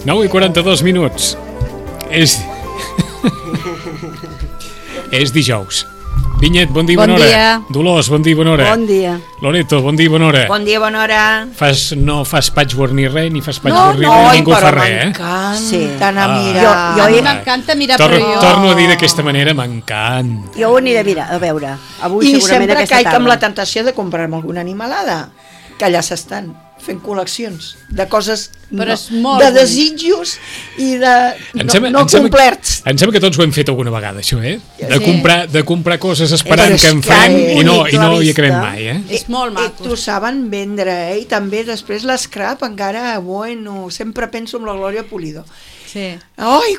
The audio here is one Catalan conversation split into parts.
9 i 42 minuts. És dijous. Vinyet, bon dia, bona hora. Dia. Dolors, bon dia, bona hora. Bon dia. Loreto, bon dia, bona hora. Bon dia, bona hora. No fas patchwork ni res, ni fas patchwork ni res, ningú fa res, eh? M'encanta anar a mirar. A mi m'encanta mirar, però jo... Torno a dir d'aquesta manera, m'encanta. Jo ho aniré a mirar, a veure. Avui I segurament sempre aquesta caic tarda. amb la tentació de comprar-me alguna animalada, que allà s'estan fent col·leccions de coses, Però és molt de bonic. desitjos i de no complerts. Em sembla que tots ho hem fet alguna vegada, això, eh? De Sí. comprar coses esperant Però és que en que farem i no bonic, la hi vista. acabem mai, eh? És molt maco. T'ho saben vendre, eh? I també després l'escrap encara, bueno, sempre penso en la Glòria Pulido. Sí. Ai,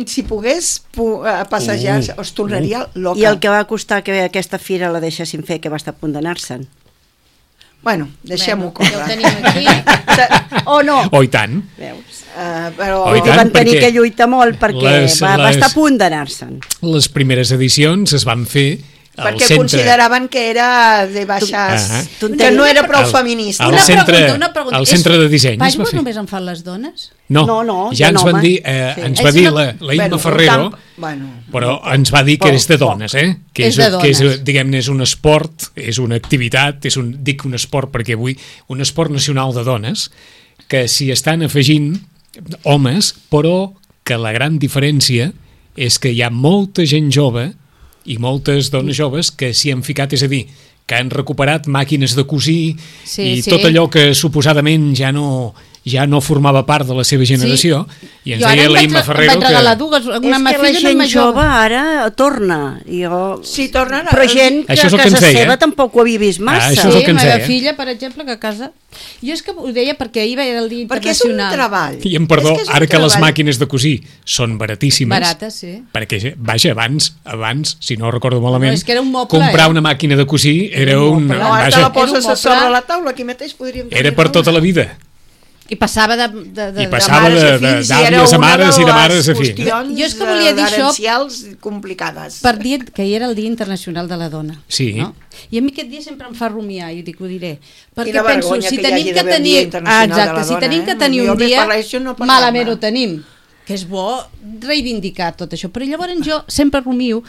si pogués passejar, es tornaria loca. I el que va costar que aquesta fira la deixessin fer, que va estar a punt d'anar-se'n. Bueno, deixem-ho Ja ho córrer. tenim aquí. O no? Oh, i tant. Veus? Però Oh, i tant, Van tenir perquè que lluitar molt perquè va estar a punt d'anar-se'n. Les primeres edicions es van fer al perquè centre. consideraven que era de baixes, Tonteria. que no era prou Al- feminista. al Una centre- pregunta. al centre de disseny es va Patchwork fer. només en fan les dones? No, No, ja hi ha ens van homes. dir, Sí. ens És va dir una- la Imma Ferrero, però ens va dir que és de dones, eh? Que És de dones. que és, diguem-ne, és un esport, és una activitat, dic un esport perquè avui, un esport nacional de dones, que s'hi estan afegint homes, però que la gran diferència és que hi ha molta gent jove i moltes dones joves que s'hi han ficat, és a dir, que han recuperat màquines de cosir i tot allò que suposadament ja no formava part de la seva generació, i ens Jo ara deia em la vaig Imma Ferrero regalar que... dues, una És que la filla i gent una jove ara torna. Sí, tornen a... Però gent que Això és el a que ens casa deia. seva tampoc ho havia vist massa. això és el que ens la meva deia. filla, per exemple, que a casa... Jo és que ho deia perquè ahir era el dia Perquè és un internacional. treball. I em perdó, És és un ara que les treball. màquines de cosir són baratíssimes, Barates, sí. perquè, vaja, abans, si no recordo malament, No, és que era un moble, comprar eh? una màquina de cosir era un... No, ara te Vaja, la poses Era un a sobre moble. la taula, aquí mateix podríem... era per tota la vida. I passava de I passava mares de a fills, i d'àvies era a una mares i de les mares a fills. qüestions, Jo és que volia dir això herencials complicades. per dir que ahir era el Dia Internacional de la Dona. Sí. No? I a mi aquest dia sempre em fa rumiar, i dic, ho diré. Perquè Quina penso, vergonya si que hi tenim hagi que d'haver un Dia tenir... Internacional de la Exacte, si Dona, tenim eh? que tenir Jo un més dia, per això no parlar-ne. malament ho tenim. Que és bo reivindicar tot això. Però llavors jo sempre rumio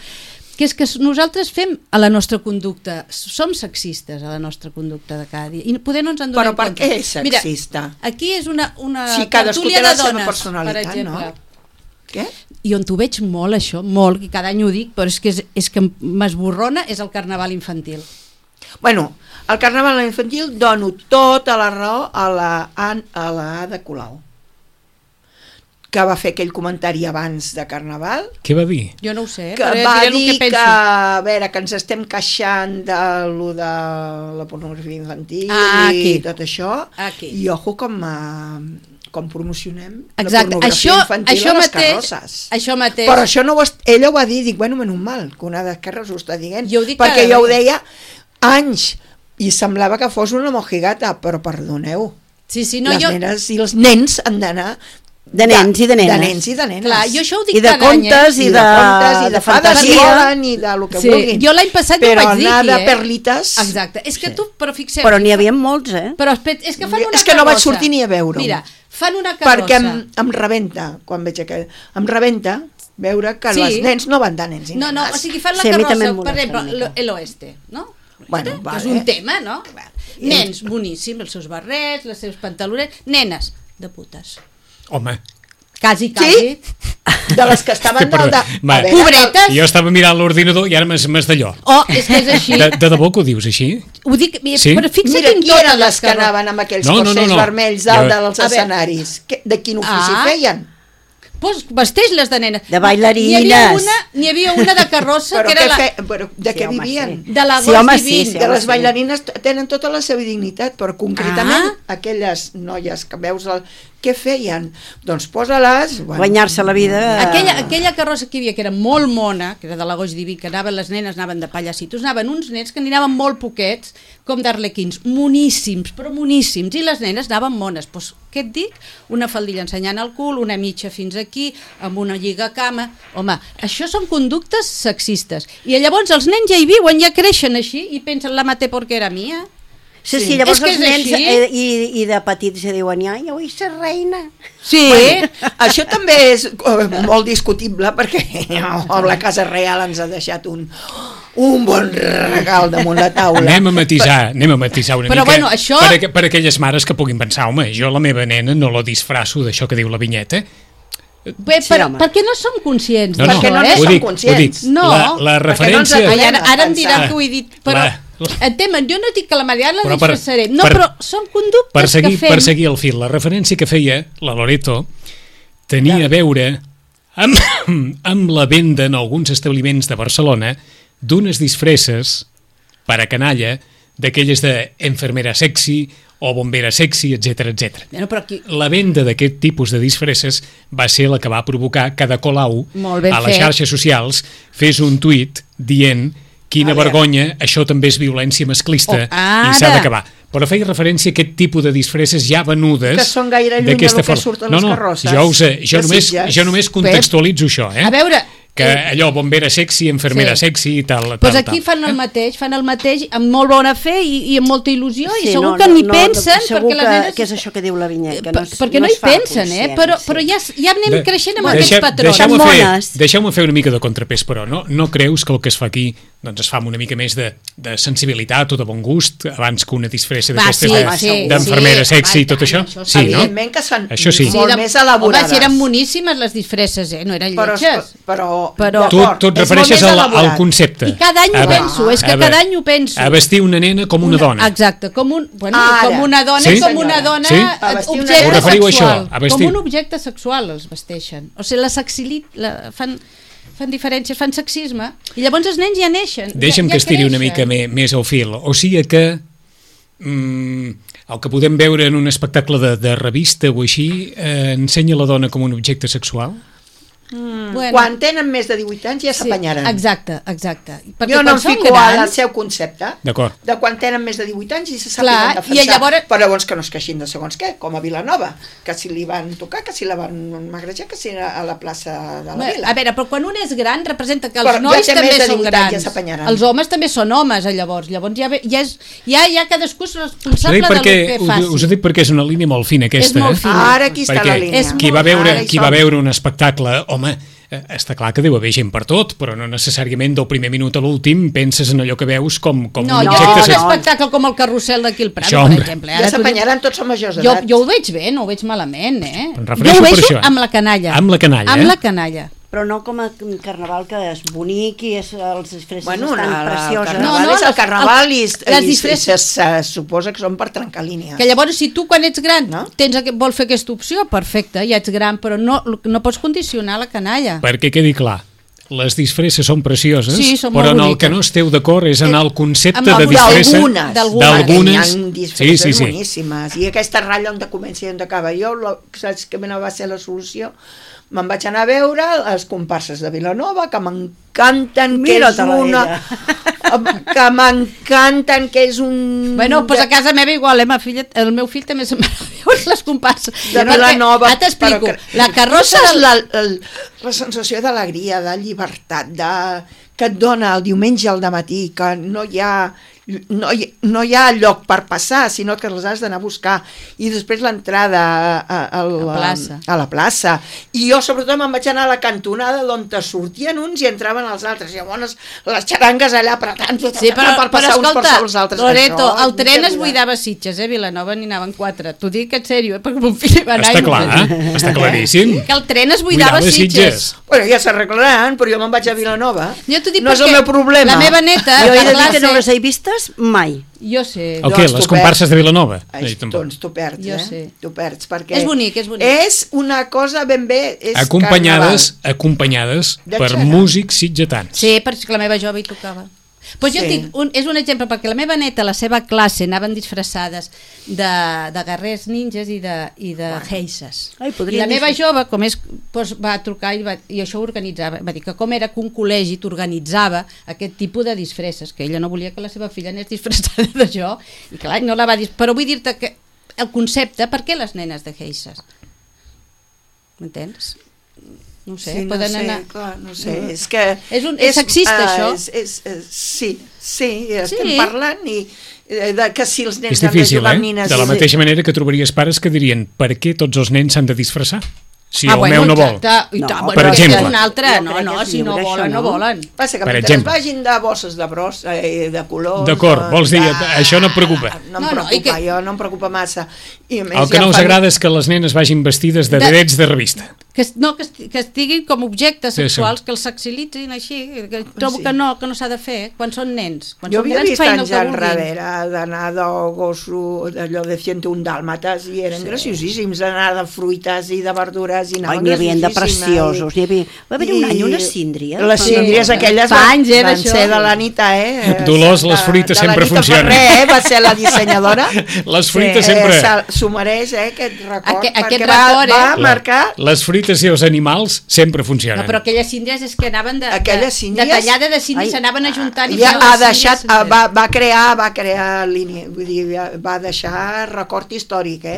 que és que nosaltres fem a la nostra conducta, som sexistes a la nostra conducta de cada dia, i poder no ens en donem Però per compte. què és sexista? Mira, aquí és una Si cadascú tertúlia té la de seva dones, personalitat, per exemple. no? Què? I on t'ho veig molt, això, molt, i cada any ho dic, però és que m'esborrona, és el carnaval infantil. Bueno, al carnaval infantil dono tota la raó a la Ada Colau, que va fer aquell comentari abans de carnaval, Què va dir? Jo no ho sé, que però va diré el dir que que, penso. a veure, que ens estem queixant de lo de la pornografia infantil i Aquí. tot això, Aquí. i ojo com com promocionem Exacte, la pornografia infantil a les carrosses. Això mateix. Però això no ella ho va dir, dic, bueno, menys mal, que una d'Esquerres ho està dient, Jo ho dic perquè cada jo ho dia. deia anys, i semblava que fos una mojigata, però perdoneu, Sí, no, les nenes i els nens han d'anar De nens i de nenes. De nens i de nenes. Clar, jo això ho dic I de cada any, contes, I de contes, i de fades, i fantasia. volen, i de lo que Sí, vulguin. jo l'any passat però ho vaig dir anar aquí, de perlites... Exacte, és que tu, però fixeu... Però n'hi havia molts, Però és que fan una És que no vaig carrossa. sortir ni a veure-ho. Mira, fan una carrossa. Perquè em rebenta, quan veig aquell... Em rebenta veure que Sí. els nens no van de nens i No, nenes. o sigui, fan la Sí, a mi també carrossa, em per molesta exemple, una mica. el oeste, no? Bueno, Que vale. és un tema, no? Nens, boníssim, els seus barrets, les seus pantalonets, nenes, de putes. Home, Quasi. De les que estaven Perdó, de... va. a veure, Pobretes. jo estava mirant l'ordinador i ara m'has d'allò. Oh, és que és així. De debò que ho dius així? Ho dic, Sí? però fixa't Mira, en qui totes eren les les que carrosses. anaven amb aquells No, no, corsets no. vermells dalt Jo- dels A veure. escenaris? De quin ofici Ah. feien? Pues vesteix-les de nena. De bailarines. N'hi havia una de carrossa Però que era de Sí, què home, vivien? sí. de la Sí, home, Gos sí, Divin. sí. De les sí. bailarines tenen tota la seva dignitat, però concretament Ah. aquelles noies que veus què feien? Doncs posa-les... Guanyar-se la vida. Aquella carrossa que hi havia, que era molt mona, que era de la Goix Diví, que anaven les nenes, anaven de pallacitos, anaven uns nens que anaven molt poquets, com d'arlequins, moníssims, però moníssims, i les nenes anaven mones. Doncs, què et dic? Una faldilla ensenyant el cul, una mitja fins aquí, amb una lliga a cama... Home, això són conductes sexistes. I llavors els nens ja hi viuen, ja creixen així, i pensen, la maté porque era mía. Sí, Sí. sí, llavors És que els és nens així. i de petits ja diuen, ai, jo vull ser reina. Sí, Això també és molt discutible perquè la Casa Reial ens ha deixat un bon regal damunt la taula. Anem a matisar una Però, mica bueno, això- per aquelles mares que puguin pensar, home, jo la meva nena no la disfrasso d'això que diu la vinyeta. Bé, Sí, home. perquè no som conscients No, no, Perquè no d'això, en ho som dic, conscients. No, la perquè no ens referència... atrevem. Ai, ara em diran pensar. que ho he dit, però entemen, jo no dic que la Mariana la Però per- disfressaré, no, per- però són conductes Per seguir, que fem. per seguir el fil, la referència que feia la Loreto tenia a veure amb la venda en alguns establiments de Barcelona d'unes disfresses per a canalla, d'aquelles de enfermera sexy o bombera sexy, etc etc. Bueno, però aquí, La venda d'aquest tipus de disfresses va ser la que va provocar que Ada Colau Molt ben a les fet. xarxes socials fes un tuit dient quina A veure. vergonya, això també és violència masclista Oh, ara. i s'ha d'acabar. Però feia referència a aquest tipus de disfresses ja venudes Que són gaire lluny d'aquesta del que forma. surt a les carrosses jo de Sitges. només contextualitzo això, a veure, que allò, bombera sexy, enfermera Sí. sexy i tal. doncs tal, aquí tal. fan el mateix amb molt bona fe i amb molta il·lusió i Sí, segur no, que no, ni no, pensen segur perquè les nenes... que és això que diu la vinyeta, que no es, perquè no es hi fa pensen, conscient, però sí. ja anem creixent amb aquests Deixem- patrons. deixeu-me Són fer, mones. deixeu-me fer una mica de contrapès, però no creus que el que es fa aquí doncs es fa amb una mica més de sensibilitat o de bon gust abans que una disfressa Va, d'aquestes sí, d'enfermera sí, sexy i va, tot això? això Sí, no? Evidentment que són Això sí. molt més elaborades. Home, si eren moníssimes les disfresses, no eren lletges. Però Però- Tu et d'acord, és molt refereixes més al elaborat. concepte. I cada any ho penso, és que cada any ho penso. A vestir una nena com una dona. Exacte, com Ara. una dona, Sí? com una dona, Sí? A vestir una objecte nena. Us referiu a sexual. això, a vestir? Com un objecte sexual els vesteixen. O sigui, fan diferències, fan sexisme, i llavors els nens ja neixen. Deixa'm ja que estiri una creixen. mica més al fil. O sigui que el que podem veure en un espectacle de revista o així ensenya la dona com un objecte sexual? Bueno, Quan tenen més de 18 anys ja sí, s'apanyaran. exacte. Perquè Jo no quan em són fico grans, al seu concepte D'acord. de quan tenen més de 18 anys i se Clar, sàpiguen defensar. i llavors- Però llavors que no es queixin de segons què, com a Vilanova, que si li van tocar, que si la van magrejar, que si a la plaça de la Vila. a veure, però quan un és gran representa que els Però ja nois té també més de són 18 anys, ja grans. s'apanyaran. Els homes també són homes, llavors ja cadascú és responsable del que faci. Us ho dic perquè és una línia molt fina aquesta. És molt fina. Ara aquí està Perquè la línia. És qui va molt- veure, ara hi qui va som. veure un espectacle, home, està clar que deu haver gent per tot, però no necessàriament del primer minut a l'últim penses en allò que veus com No, un jo objecte veig un sexual. espectacle com el carrusel d'aquí al Prat, Això, per home. exemple. Ja Ara tu dius- s'apanyaran, tots som majors jo, d'edat. jo ho veig bé, no ho veig malament, Em Jo refereixo ho per veig això. amb la canalla. Amb la canalla, Amb eh? la canalla. Però no com a carnaval que és bonic i els disfresses Bueno, estan el precioses. carnaval No, és el les- carnaval i, les i disfresses- se suposa que són per trencar línies. Que llavors, si tu quan ets gran No? vols fer aquesta opció, perfecte, ja ets gran, però no pots condicionar la canalla. Perquè quedi clar, les disfresses són precioses, Sí, són però molt en el boniques. que no esteu d'acord és en el concepte Amb de disfressa D'algunes. Hi ha disfresses sí. boníssimes. I aquesta ratlla on comença i on acaba. Jo, saps que va ser la solució? Me'n vaig anar a veure les comparses de Vilanova, que m'encanten, que és una... que m'encanten, que és un... Bueno, doncs a casa meva igual, el meu fill també se'n va veure les comparses. de Vilanova. Ara t'explico, la carrossa... carrossa... La sensació d'alegria, de llibertat, que et dona el diumenge al dematí, que no hi ha lloc per passar, sinó que els has d'anar a buscar, i després l'entrada a la plaça. I jo sobretot me'n vaig anar a la cantonada d'on te sortien uns i entraven els altres, i llavors les xarangues allà apretant Sí, però passar uns per escolta, sobre els altres. Loreto, el tren es buidava a Sitges, Vilanova n'hi anaven 4. T'ho dic en sèrio, perquè mon fill va anar... Està clar, està claríssim. Que el tren es buidava a Sitges. Bueno, ja s'arreglaran, però jo me'n vaig a Vilanova. Jo t'ho dic no és el meu problema. La meva neta... Jo he de dir que no les he vistes mai. Jo sé. El què? Les comparses de Vilanova? Doncs tu perds, Jo sé. Tu perds, perquè... És bonic, és bonic. És una cosa ben bé... És acompanyades per músics sitgetans. Sí, perquè la meva jove hi tocava. Pues jo dic, és un exemple, perquè la meva neta, la seva classe, anaven disfressades de guerrers ninjas i de geisses. I la meva jove, com és, doncs va trucar i això ho organitzava. Va dir que com era que un col·legi t'organitzava aquest tipus de disfresses, que ella no volia que la seva filla anés disfressada d'això, i clar, no la va dir. Però vull dir-te que el concepte, per què les nenes de geisses? M'entens? No ho sé, poden anar... Clar, no sé, és que... És sexista, això? Sí, estem parlant i que si els nens és difícil, han de jugar amb nines... De la mateixa manera que trobaries pares que dirien per què tots els nens s'han de disfressar? Si el meu no vol. Per exemple. Si no volen, no volen. Passa que mentre es vagin de bosses de bros, de colors... D'acord, vols dir, això no et preocupa? No em preocupa, jo no em preocupa massa. El que no us agrada és que les nenes vagin vestides de vedets de revista. Que estiguin com objectes sexuals, que els sexilitzin així, que trobo que no s'ha de fer quan són nens. Jo havia vist anys enrere d'anar de gosso, d'allò de 101 dàlmates, i eren graciosíssims, d'anar de fruites i de verdures, i anaven graciosíssimes. N'hi havia de preciosos. Va haver un any unes síndries. Les síndries aquelles van ser de l'Anita, Dolors, les fruites sempre funcionen. Ferrer, va ser la dissenyadora. Les fruites sempre... S'ho mereix, aquest record, perquè va marcar... Les fruites i els animals sempre funcionen. No, però aquelles síndries és que anaven de tallada de síndries, s'anaven ajuntant i va crear línia, vull dir, va deixar record històric,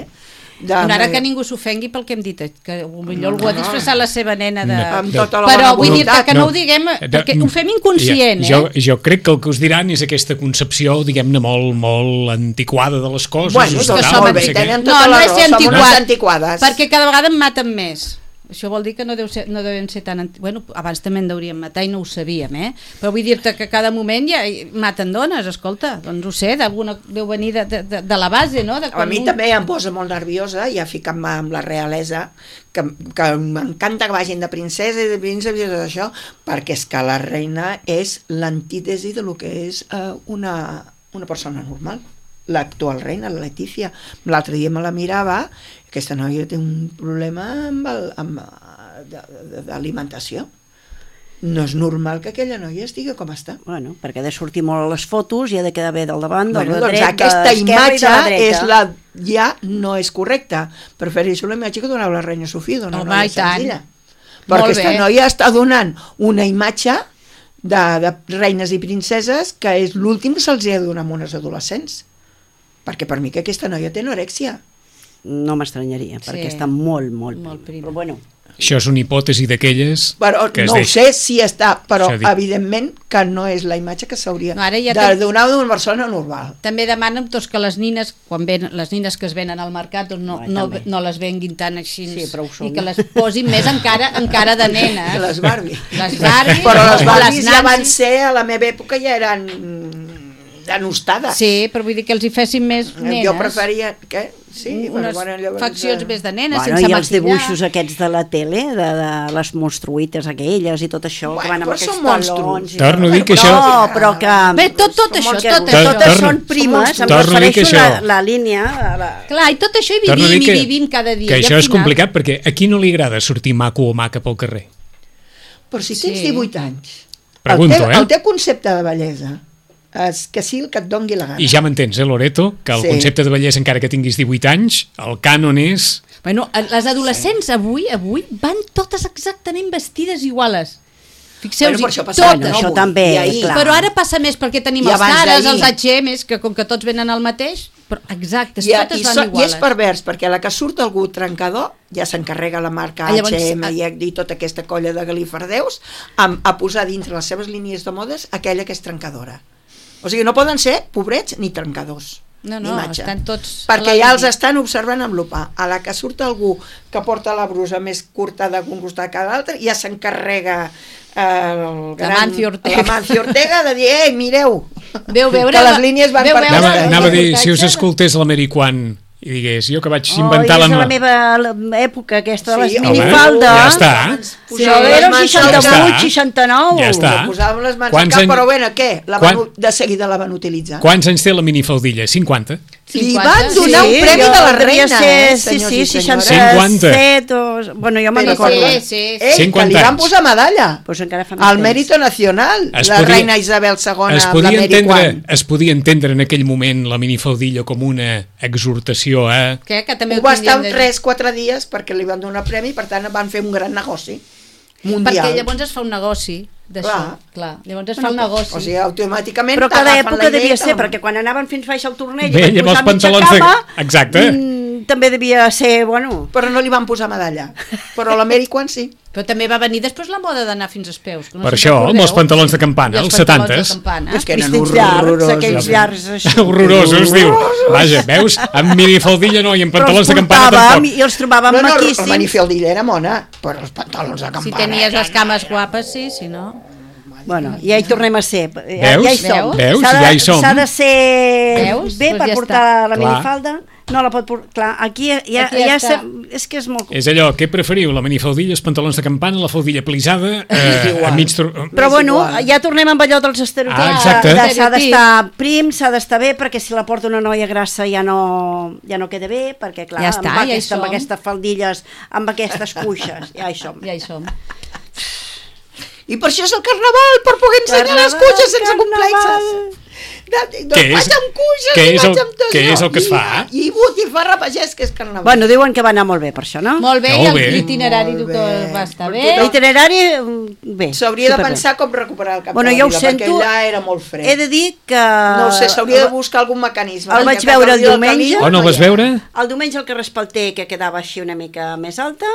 ara que ningú s'ofengui pel que hem dit, que potser algú ha disfressat la seva nena amb tota la però vull dir-te que no ho diguem perquè ho fem inconscient, Jo crec que el que us diran és aquesta concepció, diguem-ne, molt antiquada de les coses. Bueno, molt bé, tenen tota la raó, som unes antiquades. Perquè cada vegada en maten més. Això vol dir que no deuen ser tan... Bueno, abans també en deurien matar i no ho sabíem, Però vull dir-te que cada moment ja maten dones, escolta, doncs ho sé, deu venir de la base, no? A mi també em posa molt nerviosa, ja ficant-me amb la realesa, que m'encanta que vagin de princesa i de príncep i tot això, perquè és que la reina és l'antítesi de lo que és una persona normal. L'actual reina, la Letícia. L'altre dia me la mirava, aquesta noia té un problema d'alimentació. No és normal que aquella noia estigui com està. Bueno, perquè ha de sortir molt a les fotos i ha de quedar bé del davant, del dret, doncs aquesta imatge ja no és correcta. Prefereixo la imatge que donava la reina Sofia, d'una noia senzilla. Perquè aquesta noia està donant una imatge de reines i princeses que és l'últim que se'ls ha de donar a unes adolescents. Perquè per mi que aquesta noia té anorèxia. No m'estranyaria, perquè està molt prima. Però bueno... Això és una hipòtesi d'aquelles... No ho sé si està, però evidentment que no és la imatge que s'hauria de donar d'una persona normal. També demanen que les nines, les nines que es venen al mercat, no les venguin tan així i que les posin més encara de nenes. Les Barbie. Però les Barbies ja van ser, a la meva època ja eren... denostades. Sí, però vull dir que els hi fessin més nenes. Jo preferia... Què? Sí, unes faccions més de nenes, sense maquillar. I els dibuixos aquests de la tele, de les monstruïtes aquelles i tot això, que van amb aquests talons... Torno a dir que això... No, però que... Bé, tot això. Totes són primes, em refereixo la línia... Clar, i tot això hi vivim cada dia. Que això és complicat, perquè a qui no li agrada sortir maco o maca pel carrer? Però si tens 18 anys, Pregunto, el teu concepte de bellesa és que sí el que et dongui la gana. I ja m'entens, Loreto, que el concepte de bellesa, encara que tinguis 18 anys, el cànon és... Bueno, les adolescents avui van totes exactament vestides iguales. Fixeu-vos, Per això passa totes. Això també, clar. Però ara passa més perquè tenim I els abans Zaras, d'ahir. els H&M's, que com que tots venen al mateix, però exactes, totes van I iguales. és pervers, perquè a la que surt algú trencador, ja s'encarrega la marca Llavors, H&M i tota aquesta colla de galifardeus a posar dintre les seves línies de modes aquella que és trencadora. O sigui, no poden ser pobrets ni trencadors. No, d'imatge. estan tots... Perquè ja els estan observant amb lupa. A la que surt algú que porta la brusa més curta d'un costat que l'altre, ja s'encarrega el gran... Mancio Ortega. La Mancio Ortega de dir, mireu, Veu veure... que les línies van per Anava a dir, si us escoltés l'Ameriquan i digués, jo que vaig inventar és la meva època aquesta de les Sí, minifaldes. ja està. Sí, era el mans 68, al cap. 69. Ja està. Posàvem les mans Quants al cap, anys- però bueno, què? De seguida la van utilitzar. Quants anys té la minifaldilla? 50? Li 50? van donar un premi jo de la devia reina, ser, senyors i sí, senyores. 67 o... Bueno, jo me'n Però recordo. sí. Ei, que 50 li van anys. posar medalla. Pues encara fa Al més Mérito Nacional, Es la podia- reina Isabel II Es amb podia, l'American. es podia entendre en aquell moment la minifaldilla com una exhortació a... Que també Ho va estar tindríem 3-4 dies perquè li van donar premi, per tant van fer un gran negoci mundial. Perquè llavors es fa un negoci d'això. Clar. Llavors es fa un negoci. O sigui, automàticament Però cada t'agafen època la idea devia i te ser, la- perquè quan anaven fins baix al torneig Bé, i van llavors posar mitja pantalons de- capa, Exacte. també devia ser, bueno... Però no li van posar medalla. Però l'American sí. Però també va venir després la moda d'anar fins als peus. Que no Per sé si això, recordeu. amb els pantalons de campana, I els els pantalons 70s. de campana. És que eren Vestits llargs, horrorosos. aquells llargs així. Horrorosos, diu. Vaja, veus? Amb minifaldilla no, i amb Però els pantalons de campana portàvem tampoc. i els trobàvem No, la maquíssims. manifaldilla era mona, però els pantalons de campana... Si tenies les cames guapes, sí, si no... Bueno, ja hi tornem a ser. Veus? Ja hi som. Veus? S'ha de- Ja hi som. S'ha de ser Veus? bé Doncs per ja portar està. la Clar. minifalda. No la pot portar... Clar, aquí ja Aquí ja està. és que és molt... És allò, què preferiu? La minifaldilla, els pantalons de campana, la faldilla plisada, igual. a mig... Però És bueno, igual. ja tornem amb allò dels estereotips. Ah, exacte. S'ha d'estar prim, s'ha d'estar bé, perquè si la porta una noia grassa ja no queda bé, perquè clar, Ja està, ja hi som. amb aquestes faldilles, amb aquestes cuixes, ja hi som. Ja hi som. I per això és el carnaval, per poder ensenyar les Carnaval, cuixes sense carnaval. complexes. Doncs Què és- vaig amb cuixes què i és el- vaig amb tot què allò. és el que es fa? I botifarra pagès, que és carnaval. Bueno, diuen que va anar molt bé per això, no? Molt bé, Molt i bé. l'itinerari Molt que bé. va estar Per bé. tothom. L'itinerari, bé. S'hauria de superbé. pensar com recuperar el cap Bueno, de la jo ho vila, sento. perquè allà era molt fred. He de dir que... No ho sé, s'hauria de buscar algun mecanisme. El perquè vaig veure el Caliu diumenge. Oh, no el vas veure? El diumenge el carrer Espalter, que quedava així una mica més alta,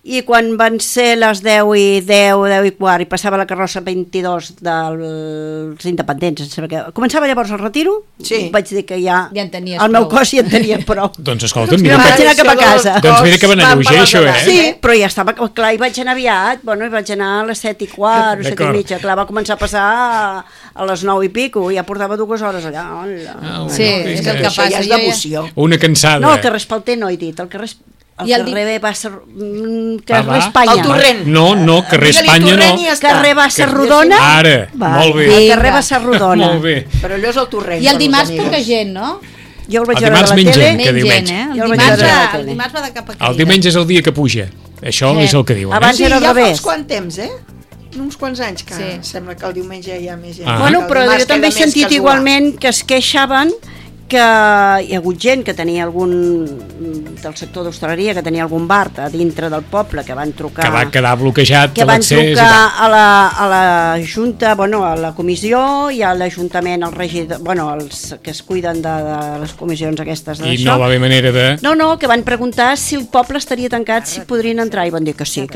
i quan van ser les 10 i quart, i passava la carrossa 22 dels independents, em sembla que... Començava llavors el retiro, Sí. vaig dir que ja... Ja en tenies el meu prou. cos ja en tenia prou. Doncs escolta'm, I mira, me'n vaig que- anar cap a casa. Doncs mira que van a lleuger, això, eh? Sí, però ja estava, clar, i vaig anar aviat, bueno, i vaig anar a les 7 i quart, o 7 i D'acord. mitja, clar, va començar a passar a les 9 i pico, ja portava 2 hores allà. Hola. Sí, és el que Això passa. ja és Jo devoció. Una cansada. No, el carrer Espalter no he dit, el carrer I el carrer va ser... Va, carrer va. Espanya. El torrent. No, carrer Digue-li Espanya torrent no. i ja està. Carrer Bassa Rodona. Ara, molt bé. El carrer Bassa Rodona. Molt bé. Però allò és el torrent. I el per dimarts les amigues. poca gent, no? Jo el vaig El veure a dimarts la menys tele. gent. Que Menys diumenge. gent, Jo el El vaig dimarts, veure a la va, tele. el dimarts va de cap a aquella. El diumenge és el dia que puja. Això Sí. és el que diuen. Abans Sí, era al ja fa revés. uns quants temps, uns quants anys que Sí. sembla que el diumenge hi ha més gent. Ah. Bueno, El però dimarts jo també he queda més sentit casual. igualment que es queixaven que hi ha hagut gent que tenia algun del sector d'hostaleria, que tenia algun bar a dintre del poble, que van trucar Que va quedar bloquejat que van l'accés. i trucar tal. a la Junta, bueno, a la comissió i a l'Ajuntament, al regidor, bueno, els que es cuiden de les comissions aquestes I d'això. no va haver manera de... No, que van preguntar si el poble estaria tancat, si podrien entrar, i van dir que sí,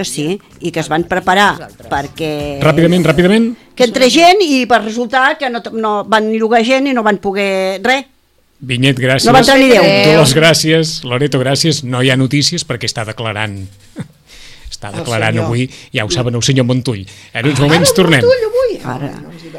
i que es van preparar perquè... Ràpidament. Que entre gent, i va resultar que no van llogar gent i no van poder res. Vinyet, gràcies. No va entrar ni Déu. Dolors, gràcies. Loreto, gràcies. No hi ha notícies perquè està declarant... Està declarant senyor. avui, ja ho saben el senyor Montull. En uns moments tornem. Montull avui? Ara. No ens divertim.